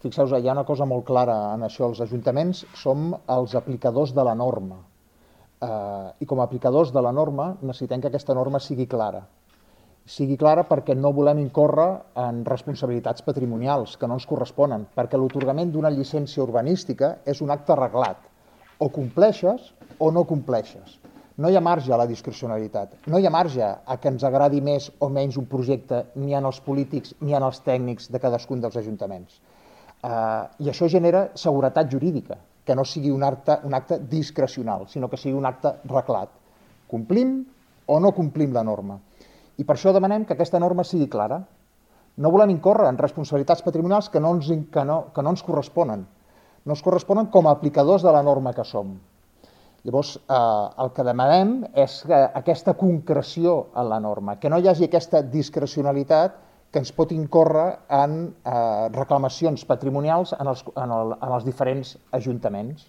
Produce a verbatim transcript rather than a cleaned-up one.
Fixeu-vos, hi ha una cosa molt clara en això, els ajuntaments som els aplicadors de la norma. Eh, I com a aplicadors de la norma necessitem que aquesta norma sigui clara. Sigui clara perquè no volem incórrer en responsabilitats patrimonials que no ens corresponen, perquè l'atorgament d'una llicència urbanística és un acte reglat. O compleixes o no compleixes. No hi ha marge a la discrecionalitat, no hi ha marge a que ens agradi més o menys un projecte ni en els polítics ni en els tècnics de cadascun dels ajuntaments. Uh, I això genera seguretat jurídica, que no sigui un acte, un acte discrecional, sinó que sigui un acte reglat. Complim o no complim la norma. I per això demanem que aquesta norma sigui clara. No volem incórrer en responsabilitats patrimonials que no ens, que no, que no ens corresponen. No ens corresponen com a aplicadors de la norma que som. Llavors, eh, el que demanem és que aquesta concreció en la norma, que no hi hagi aquesta discrecionalitat que ens pot incórrer en eh, reclamacions patrimonials en els, en, el, en els diferents ajuntaments.